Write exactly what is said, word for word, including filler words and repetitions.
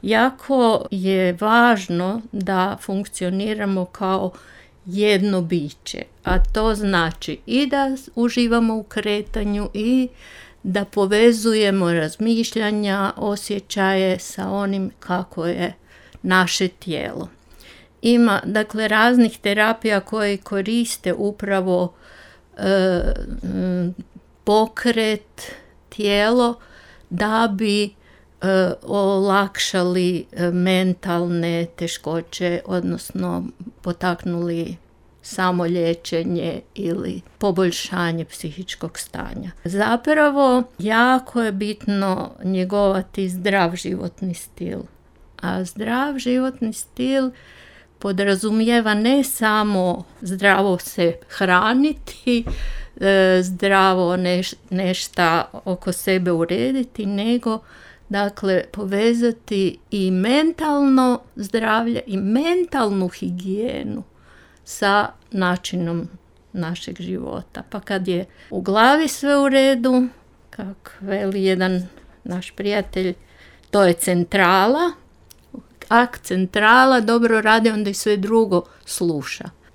jako je važno da funkcioniramo kao jedno biće, a to znači i da uživamo u kretanju i da povezujemo razmišljanja, osjećaje sa onim kako je naše tijelo. Ima dakle raznih terapija koje koriste upravo e, pokret, tijelo da bi e, olakšali mentalne teškoće, odnosno potaknuli samoliječenje ili poboljšanje psihičkog stanja. Zapravo, jako je bitno njegovati zdrav životni stil. A zdrav životni stil podrazumijeva ne samo zdravo se hraniti, zdravo neš, nešta oko sebe urediti, nego dakle povezati i mentalno zdravlje i mentalnu higijenu sa načinom našeg života. Pa kad je u glavi sve u redu, kako veli jedan naš prijatelj, to je centrala. Ak centrala dobro radi, onda i sve drugo sluša.